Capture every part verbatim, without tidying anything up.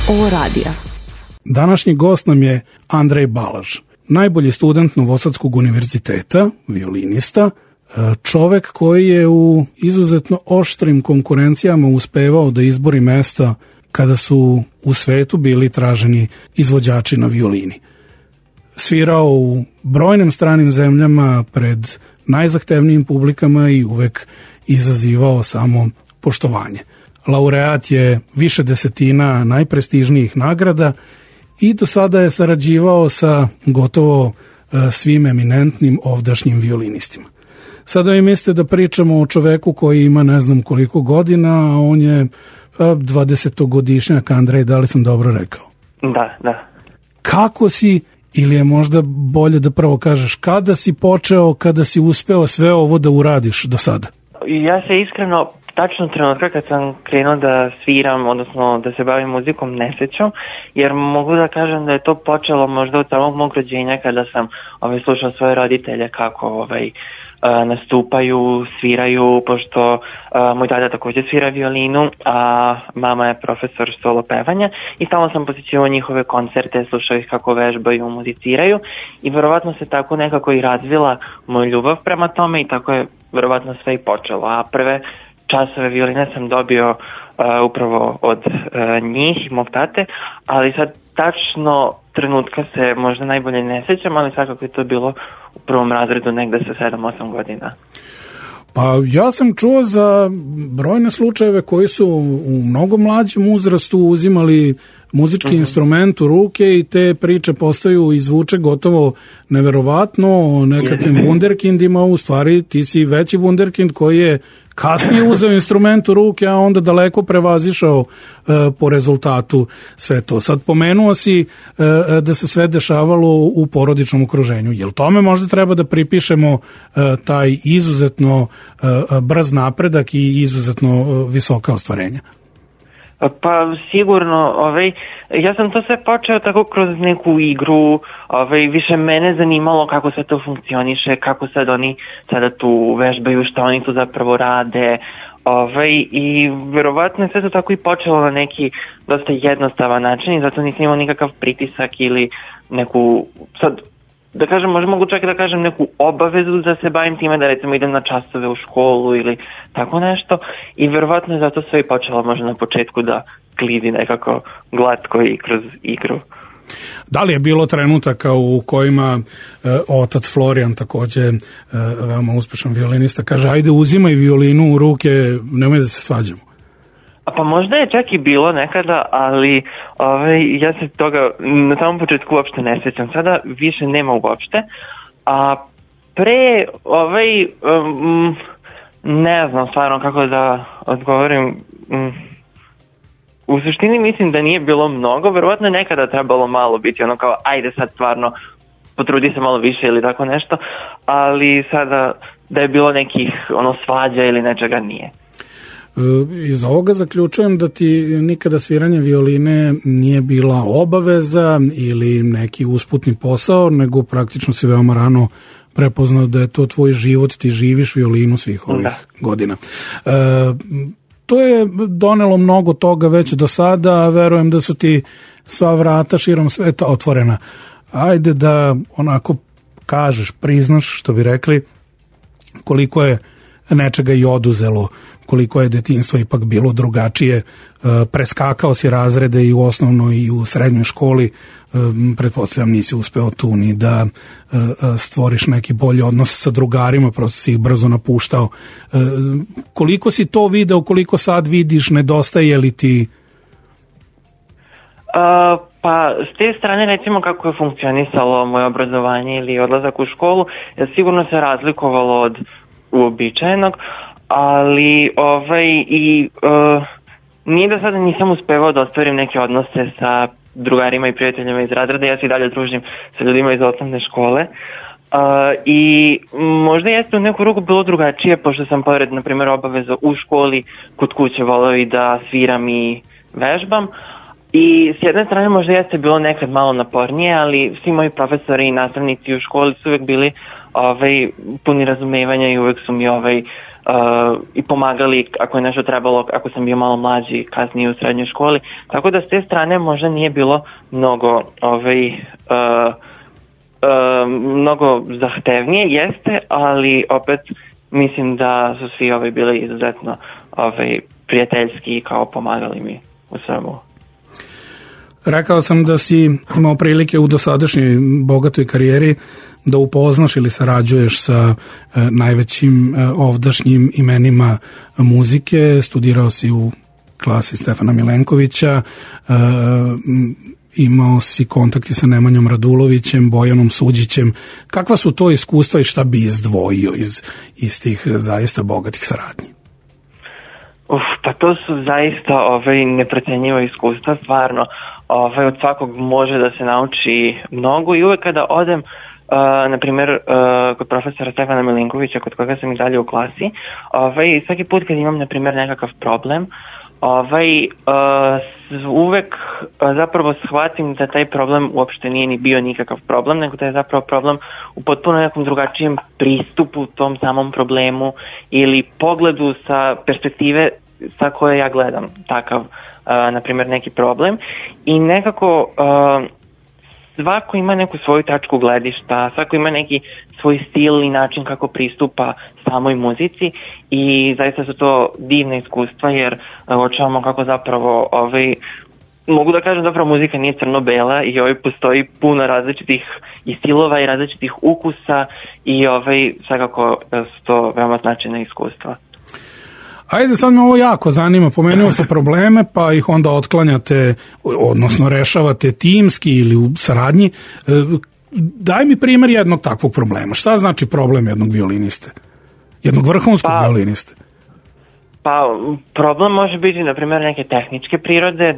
Ovo radija. Današnji gost nam je Andrej Balaž, najbolji student Novosadskog univerziteta, violinista, čovek koji je u izuzetno oštrim konkurencijama uspevao da izbori mesta kada su u svetu bili traženi izvođači na violini. Svirao u brojnim stranim zemljama pred najzahtevnijim publikama i uvek izazivao samo poštovanje. Laureat je više desetina najprestižnijih nagrada i do sada je sarađivao sa gotovo svim eminentnim ovdašnjim violinistima. Sada vi mislite da pričamo o čoveku koji ima ne znam koliko godina, a on je dvadesetogodišnjak. Andrej, da li sam dobro rekao? Da, da. Kako si, ili je možda bolje da prvo kažeš, kada si počeo, kada si uspeo sve ovo da uradiš do sada? Ja se iskreno, tačno trenutka kad sam krenuo da sviram, odnosno da se bavim muzikom, ne sećam, jer mogu da kažem da je to počelo možda od samog mog rođenja kada sam ovaj, slušao svoje roditelje kako ovaj, nastupaju, sviraju, pošto a, moj tada također svira violinu, a mama je profesor solo pevanja i stalno sam posjećivao njihove koncerte, slušao ih kako vežbaju, muziciraju i verovatno se tako nekako i razvila moja ljubav prema tome i tako je verovatno sve i počelo. A prve časove violine sam dobio uh, upravo od uh, njih i mog tate, ali sad tačno trenutka se možda najbolje ne sjećam, ali svakako je to bilo u prvom razredu negde sa sedam osam godina. Pa ja sam čuo za brojne slučajeve koji su u mnogo mlađem uzrastu uzimali muzički mm-hmm. instrument u ruke i te priče postaju i zvuče gotovo neverovatno o nekakvim wunderkindima, u stvari ti si veći wunderkind koji je kasnije uzeo instrument u ruke, a onda daleko prevazišao uh, po rezultatu sve to. Sad pomenuo si uh, da se sve dešavalo u porodičnom okruženju. Jel tome možda treba da pripišemo uh, taj izuzetno uh, brz napredak i izuzetno uh, visoka ostvarenja? Pa sigurno, ovaj, ja sam to sve počeo tako kroz neku igru, ovaj, više mene zanimalo kako sve to funkcioniše, kako sad oni sada tu vežbaju, šta oni tu zapravo rade, ovaj, i verovatno je sve to tako i počelo na neki dosta jednostavan način i zato nisam imao nikakav pritisak ili neku, sad, da kažem, možda mogu čak da kažem neku obavezu da se bavim time, da recimo idem na časove u školu ili tako nešto i verovatno je zato sve i počelo možda na početku da glidi nekako glatko i kroz igru. Da li je bilo trenutaka u kojima e, otac Florijan, takođe e, veoma uspešan violinista, kaže ajde uzimaj violinu u ruke, nemoj da se svađamo? A pa možda je čak i bilo nekada, ali ovaj, ja se toga na samom početku uopšte ne sjećam. Sada više nema uopšte. A pre, ovaj, um, ne znam stvarno kako da odgovorim. Um, u suštini mislim da nije bilo mnogo. Verovatno je nekada trebalo malo biti ono kao ajde sad stvarno potrudi se malo više ili tako nešto. Ali sada da je bilo nekih ono svađa ili nečega nije. Iz ovoga zaključujem da ti nikada sviranje violine nije bila obaveza ili neki usputni posao, nego praktično si veoma rano prepoznao da je to tvoj život, ti živiš violinu svih ovih da. godina. E, to je donelo mnogo toga već do sada, a verujem da su ti sva vrata širom sveta otvorena. Ajde da onako kažeš, priznaš, što bi rekli, koliko je nečega i oduzelo, koliko je detinjstvo ipak bilo drugačije, preskakao si razrede i u osnovnoj i u srednjoj školi, pretpostavljam nisi uspeo tu ni da stvoriš neki bolji odnos sa drugarima, prosto si ih brzo napuštao. Koliko si to video, koliko sad vidiš, nedostaje li ti? Uh, pa s te strane recimo kako je funkcionisalo moje obrazovanje ili odlazak u školu, sigurno se razlikovalo od uobičajenog, ali ovaj i uh, nije da sada nisam uspevao da ostvarim neke odnose sa drugarima i prijateljima iz razreda, ja se i dalje družim sa ljudima iz osnovne škole uh, i možda jeste u neku ruku bilo drugačije, pošto sam pored, na primjer, obaveza u školi, kod kuće voleo i da sviram i vežbam I s jedne strane možda jeste bilo nekad malo napornije, ali svi moji profesori i nastavnici u školi su uvek bili ovaj, puni razumevanja i uvek su mi ovaj, uh, i pomagali ako je nešto trebalo, ako sam bio malo mlađi kasnije u srednjoj školi. Tako da s te strane možda nije bilo mnogo ovaj, uh, uh, mnogo zahtevnije, jeste, ali opet mislim da su svi ovaj, bili izuzetno ovaj, prijateljski i kao pomagali mi u svemu. Rekao sam da si imao prilike u dosadašnjoj bogatoj karijeri da upoznaš ili sarađuješ sa e, najvećim e, ovdašnjim imenima muzike, studirao si u klasi Stefana Milenkovića, e, imao si kontakti sa Nemanjom Radulovićem, Bojanom Suđićem. Kakva su to iskustva i šta bi izdvojio iz, iz tih zaista bogatih saradnji? Uf, pa to su zaista ovaj, neprocenjiva iskustva, stvarno. Ovaj, od svakog može da se nauči mnogo i uvek kada odem, uh, na primjer, uh, kod profesora Stefana Milenkovića, kod koga sam i dalje u klasi, ovaj, svaki put kad imam, na primjer, nekakav problem, ovaj, uh, uvek uh, zapravo shvatim da taj problem uopšte nije ni bio nikakav problem, nego da je zapravo problem u potpuno nekom drugačijem pristupu tom samom problemu ili pogledu sa perspektive sa koje ja gledam takav, uh, na primjer, neki problem i nekako uh, svako ima neku svoju tačku gledišta, svako ima neki svoj stil i način kako pristupa samoj muzici i zaista su to divne iskustva jer uh, očuvamo kako zapravo ovaj, mogu da kažem zapravo muzika nije crno-bela i ovaj postoji puno različitih i stilova i različitih ukusa i ovaj svakako su to veoma značajna iskustva. Ajde, sad me ovo jako zanima, pomenuo se probleme, pa ih onda otklanjate, odnosno rešavate timski ili u saradnji. Daj mi primjer jednog takvog problema. Šta znači problem jednog violiniste? Jednog vrhunskog pa, violiniste? Pa, problem može biti, na primjer, neke tehničke prirode,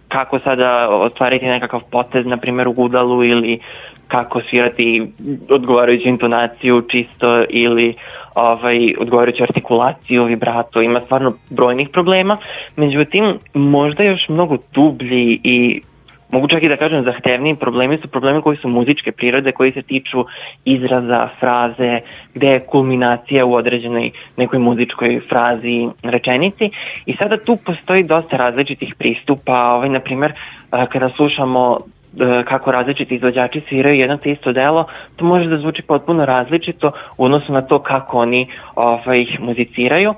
kako sada ostvariti nekakav potez, na primjer, u gudalu ili kako svirati odgovarajuću intonaciju čisto ili ovaj, odgovarajuću artikulaciju, vibrato, ima stvarno brojnih problema, međutim možda još mnogo dublji i mogu čak i da kažem zahtevniji problemi su problemi koji su muzičke prirode, koji se tiču izraza, fraze, gde je kulminacija u određenoj nekoj muzičkoj frazi, rečenici i sada tu postoji dosta različitih pristupa, ovaj, na primjer kada slušamo kako različiti izvođači sviraju jedno te isto delo, to može da zvuči potpuno različito u odnosu na to kako oni ovaj, muziciraju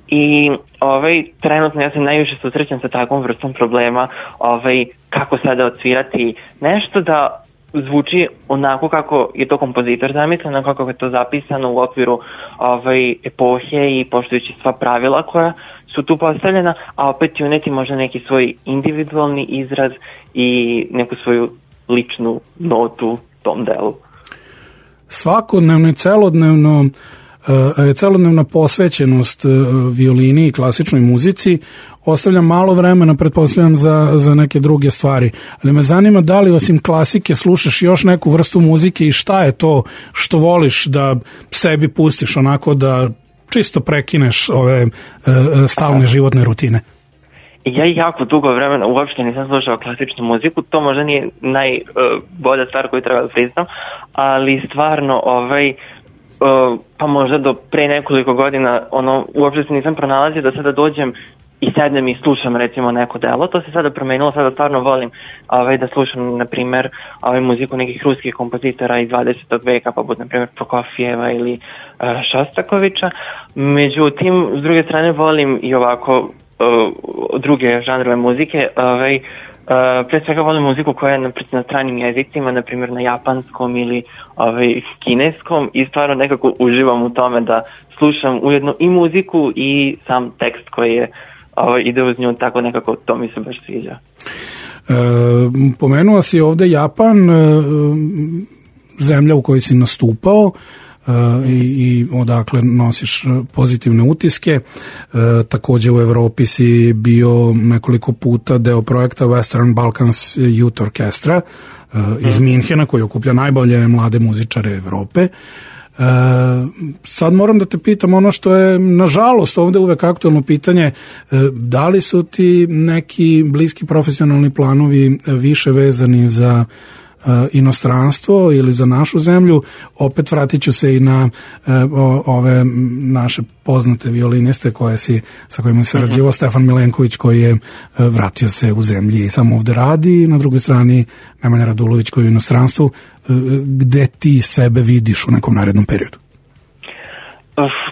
i ovaj, trenutno ja se najviše susrećam sa takvom vrstom problema ovaj, kako sada odsvirati nešto da zvuči onako kako je to kompozitor zamislio, onako kako je to zapisano u okviru ovaj, epohe i poštujući sva pravila koja su tu postavljena, a opet i uneti možda neki svoj individualni izraz i neku svoju ličnu notu tom delu. Svakodnevno i celodnevno celodnevna posvećenost violini i klasičnoj muzici ostavlja malo vremena, pretpostavljam, za, za neke druge stvari. Ali me zanima da li osim klasike slušaš još neku vrstu muzike i šta je to što voliš da sebi pustiš onako da čisto prekineš ove stalne životne rutine? Ja jako dugo vremena uopšte nisam slušao klasičnu muziku, to možda nije najbolja stvar koju treba da priznam, ali stvarno ovaj, uh, pa možda do pre nekoliko godina ono, uopšte se nisam pronalazio da sada dođem i sednem i slušam recimo neko delo, to se sada promenilo, sada stvarno volim ovaj, da slušam na primer ovaj, muziku nekih ruskih kompozitora iz dvadesetog veka, poput na primer Prokofijeva ili uh, Šostakovića, međutim s druge strane volim i ovako Uh, druge žanrove muzike, ovaj, uh, pre svega volim muziku koja je na, na stranim jezicima, na primjer na japanskom ili ovaj, kineskom i stvarno nekako uživam u tome da slušam ujedno i muziku i sam tekst koji je ovaj, ide uz nju, tako nekako to mi se baš sviđa. E, pomenuo si ovde Japan, e, zemlja u kojoj si nastupao, Uh, i, i odakle nosiš pozitivne utiske. Uh, takođe u Evropi si bio nekoliko puta deo projekta Western Balkans Youth Orchestra uh, iz Minhena, koji okuplja najbolje mlade muzičare Evrope. sad moram da te pitam ono što je nažalost ovde uvek aktualno pitanje, da li su ti neki bliski profesionalni planovi više vezani za inostranstvo ili za našu zemlju? Opet vratit ću se i na ove naše poznate violiniste koje si, sa kojima se sarađivao, Stefan Milenković koji je vratio se u zemlji i samo ovde radi, i na drugoj strani Nemanja Radulović koji je u inostranstvu. Gde ti sebe vidiš u nekom narednom periodu?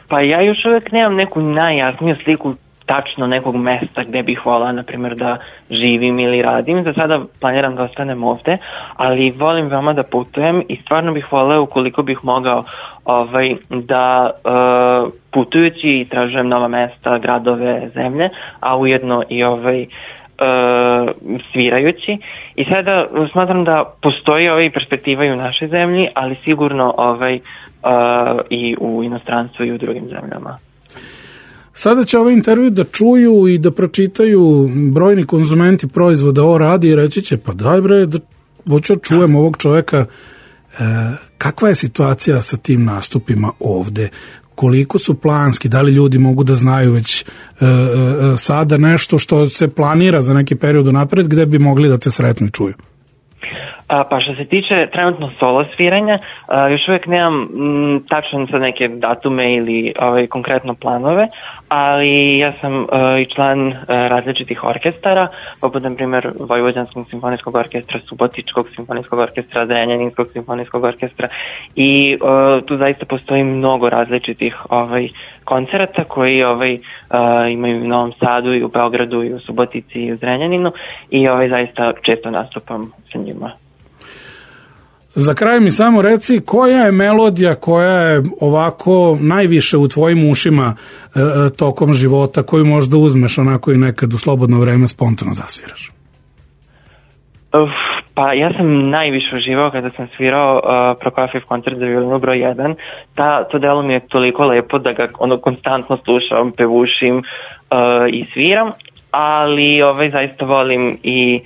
Pa ja još uvek nemam neku najjasniju sliku tačno nekog mesta gde bih volala, na primjer, da živim ili radim. Za sada planiram da ostanem ovde, ali volim veoma da putujem i stvarno bih voleo, ukoliko bih mogao, ovaj, da uh, putujući tražujem nova mesta, gradove, zemlje, a ujedno i ovaj Uh, svirajući. I sada smatram da postoji ovaj perspektiva i u našoj zemlji, ali sigurno ovaj, uh, i u inostranstvu i u drugim zemljama. Sada će ovaj intervju da čuju i da pročitaju brojni konzumenti proizvoda o radi i reći će, pa daj bre, da hoću čujem ovog čoveka, e, kakva je situacija sa tim nastupima ovde, koliko su planski, da li ljudi mogu da znaju već e, e, sada nešto što se planira za neki period napred gde bi mogli da te sretnu i čuju? A, pa što se tiče trenutno solo sviranja, a, još uvijek nemam m, tačno sad neke datume ili ovaj, konkretno planove, ali ja sam a, i član a, različitih orkestara, poput na primjer Vojvođanskog simfonijskog orkestra, Subotičkog simfonijskog orkestra, Zrenjaninskog simfonijskog orkestra, i a, tu zaista postoji mnogo različitih ovaj, koncerata koji ovaj, a, imaju u Novom Sadu i u Beogradu i u Subotici i u Zrenjaninu, i ovaj, zaista često nastupam sa njima. Za kraj mi samo reci, koja je melodija koja je ovako najviše u tvojim ušima e, tokom života, koju možda uzmeš onako i nekad u slobodno vreme spontano zasviraš? Uf, pa ja sam najviše uživao kada sam svirao uh, Prokofjev koncert za violinu broj jedan. Ta, to delo mi je toliko lepo da ga ono konstantno slušam, pevušim uh, i sviram, ali ovaj, zaista volim i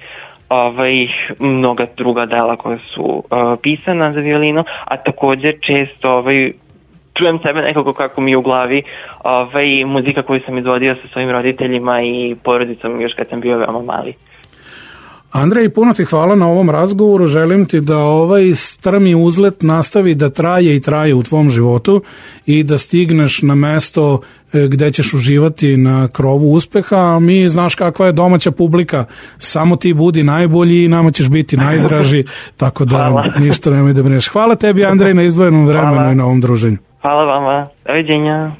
ovaj, mnoga druga dela koja su uh, pisana za violinu, a također često ovaj, čujem sebe nekako kako mi je u glavi ovaj, muzika koju sam izvodio sa svojim roditeljima i porodicom još kad sam bio veoma mali. Andrej, puno ti hvala na ovom razgovoru, želim ti da ovaj strmi uzlet nastavi da traje i traje u tvom životu i da stigneš na mesto gde ćeš uživati na krovu uspeha, a mi, znaš kakva je domaća publika, samo ti budi najbolji i nama ćeš biti najdraži, tako da hvala. Ništa nemoj da brineš. Hvala tebi, Andrej, na izdvojenom vremenu hvala. I na ovom druženju. Hvala vama, doviđenja.